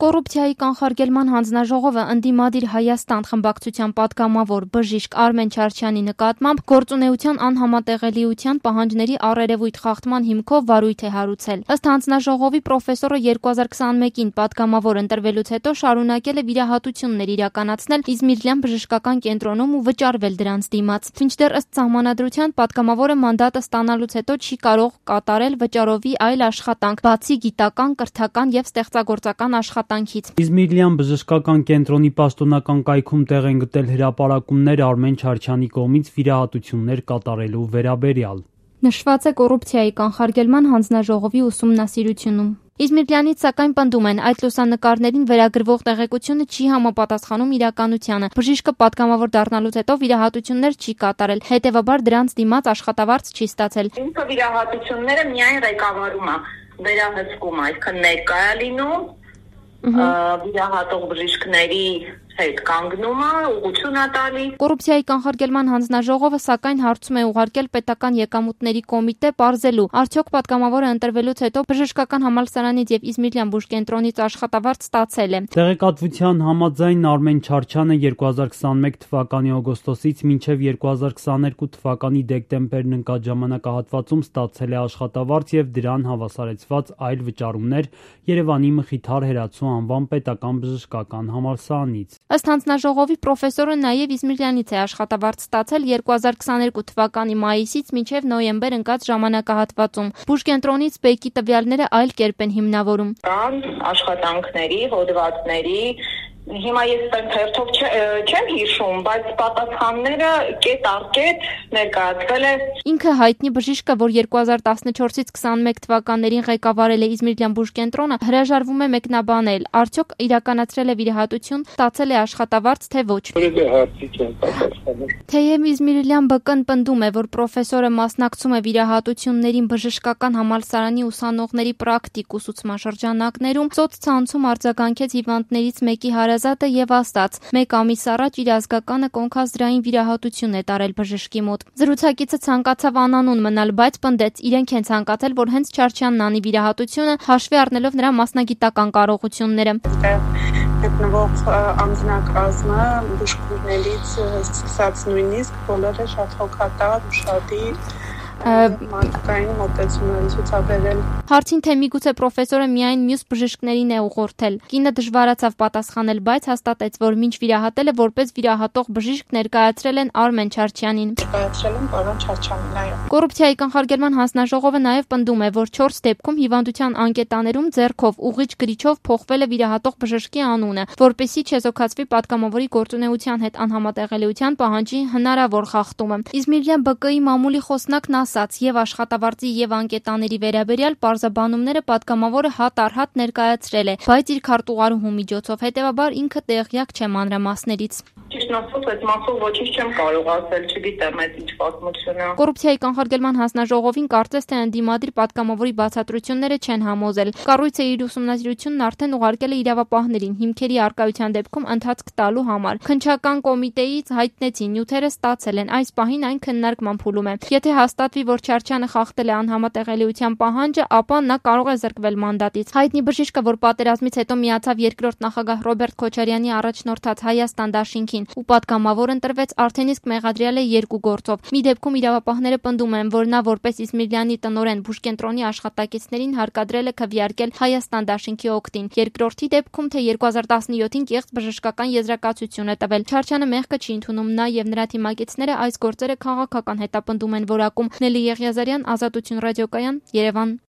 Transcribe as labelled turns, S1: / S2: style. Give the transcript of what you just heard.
S1: Կոռուպցիայի կանխարգելման հանձնաժողովը ընդդիմադիր Հայաստան խմբակցության պատգամավոր բժիշկ Արմեն Չարչյանի նկատմամբ գործունեության անհամատեղելիության պահանջների առերևույթ խախտման հիմքով վարույթ է հարուցել։ Ըստ հանձնաժողովի պրոֆեսորը 2021-ին պատգամավոր ընտրվելուց հետո շարունակել է վիրահատություններ իրականացնել Իզմիրլյան բժշկական կենտրոնում ու վճարվել դրանց դիմաց։ Մինչդեռ ըստ սահմանադրության պատգամավորը մանդատը ստանալուց հետո չի կարող կատարել վճարովի այլ աշխատանք, բացի գիտական, կրթական եւ ստեղծագործական աշխատանքից։
S2: Իզմիրլյան բժշկական կենտրոնի պաշտոնական կայքում տեղ են գտել հրապարակումներ Արմեն Չարչյանի կողմից վիրահատություններ կատարելու վերաբերյալ։
S1: Նշված է կոռուպցիայի կանխարգելման հանձնաժողովի ուսումնասիրությունում։ Իզմիրլյանից սակայն պնդում են, այդ լուսանկարներին վերագրվող տեղեկությունը չի համապատասխանում իրականությանը։ Բժիշկը պատգամավոր դառնալուց հետո վիրահատություններ չի կատարել, հետևաբար դրանց դիմաց աշխատավարձ չի ստացել։
S3: Ինքը վիրահատությունները միայն ղեկավարում է, վերահսկում, այսինքն ներկա է լինում, վիրահատող բժիշկների հետ կանգնում է, ուղղություն է տալի։
S1: Կոռուպցիայի կանխարգելման հանձնաժողովը սակայն հարցում է ուղարկել պետական եկամուտների կոմիտե պարզելու, արդյոք պատգամավորը ընտրվելուց հետո բժշկական համալսարանից եւ Իզմիրլյան բուժկենտրոնից աշխատավարձ ստացել է։
S2: Տեղեկատվության համաձայն Արմեն Չարչյանը 2021 թվականի օգոստոսից մինչև 2022 թվականի դեկտեմբերն ընկած ժամանակահատվածում ստացել է աշխատավարձ եւ դրան հավասարեցված այլ վճարումներ Երևանի Մխիթար Հերացու անվան պետական բժշկական համալսարանից։
S1: Ըստ հանձնաժողովի պրոֆեսորը նաև Իզմիրլյանից է աշխատավարձ ստացել 2022 թվականի մայիսից մինչև նոյեմբեր ընկած ժամանակահատվածում։ Բուժկենտրոնից բեկի տվյալները այլ կերպ են հիմնավորում։
S3: Կան աշխատանքների, հոդվածների, հիմա ես թերթով չեմ հիշում, բայց պատասխանները կետ առ կետ ներկայացվել է։
S1: Ինքը հայտնի բժիշկը, որ 2014-ից 21 թվականներին ղեկավարել է Իզմիրլյան բուժկենտրոնը, հրաժարվում է մեկնաբանել, արդյոք իրականացրել է վիրահատություն, ստացել է աշխատավարձ, թե ոչ։ Թեև Իզմիրլյան ԲԿ-ն պնդում է, որ պրոֆեսորը մասնակցում է վիրահատություններին բժշկական համալսարանի ուսանողների պրակտիկ ուսուցմաշրջանակներում, սոցցանցում արձագանքեց հիվանդներից մեկի հարազատը եւ ասաց. «Մեկ ամիս առաջ իր ազգականը կոնքազդրային վիրահատություն է տարել բժշկի մոտ»։ Զրուցակիցը ցանկացավ անանուն մնալ, բայց պնդեց, իրենք են ցանկացել, որ հենց Չարչյանն անի վիրահատությունը, հաշվի առնելով նրա մասնագիտական կարողությունները։
S4: Գտնվող անձնակազմը բուժքույրներից սկսած նույնիսկ բոլորը շատ հոգատար, ուշադիր մարդկային մոտեցում են ցուցաբերել։
S1: Հարցին, թե միգուցե պրոֆեսորը միայն մյուս բժիշկներին է ուղղորդել, կինը դժվարացավ պատասխանել, բայց հաստատեց, որ մինչ վիրահատելը որպես վիրահատող բժիշկ ներկայացրել են Արմեն Չարչյանին։
S4: Ներկայացրել են պարոն Չարչյանին, այո։
S1: Կոռուպցիայի կանխարգելման հանձնաժողովը նաև պնդում է, որ 4 դեպքում հիվանդության անկետաներում ձեռքով ուղղիչ գրիչով փոխվել է վիրահատող բժշկի անունը, որպեսզի չեզոքացվի պատգամավորի գործունեության հետ անհամատեղելիության պահանջի հնարավոր խախտումը։ Իզմիրլյան ԲԿ-ի մամուլի խոսնակն ասաց, եւ աշխատավարձի եւ անկետաների վերաբերյալ պարզաբանումները պատգամավորը հատ առ հատ ներկայացրել է, բայց իր քարտուղարուհու միջոցով, հետեւաբար ինքը տեղյակ չէ մանրամասներից։
S3: Ճիշտ ասած, այդ մասով ոչինչ չեմ կարող ասել, չգիտեմ այդ ինչ պատմությունը։
S1: Կոռուպցիայի կանխարգելման հանձնաժողովին կարծես թե ընդդիմադիր պատգամավորի բացատրությունները չեն համոզել։ Կառույցը իր ուսումնասիրությունն արդեն ուղարկել է իրավապահներին հիմքերի առկայության դեպքում ընթացք տալու համար։ Քննչական կոմիտեից հայտնեցին նյութերը ստացել են, այս պահին այն քննարկման փուլում է։ Եթե հաստատվի, որ Չարչյանը խախտել է անհամատեղելիության պահանջը, ապա նա կարող է զրկվել մանդատից։ Հայտնի բժիշկը, որ պատերազմից հետո միացավ երկրորդ նախագահ Ռոբերտ Քոչարյանի առաջնորդած Հայաստան դաշինքին ու պատգամավոր ընտրվեց, արդեն իսկ մեղադրյալ է 2 գործով։ Մի դեպքում իրավապահները պնդում են, որ նա որպես Իզմիրլյանի տնօրեն բուժկենտրոնի աշխատակիցներին հարկադրել է քվեարկել Հայաստան դաշինքի օգտին։ Երկրորդի դեպքում, թե 2017-ին կեղծ բժշկական եզրակացություն է տվել։ Չարչյանը մեղքը չի ընդունում, նա եւ նրա թիմակիցները այս գործերը քաղաքական հետապնդում են որակում։ Նելի Եղիազարյան, Ազատություն ռադիոկայան, Երևան։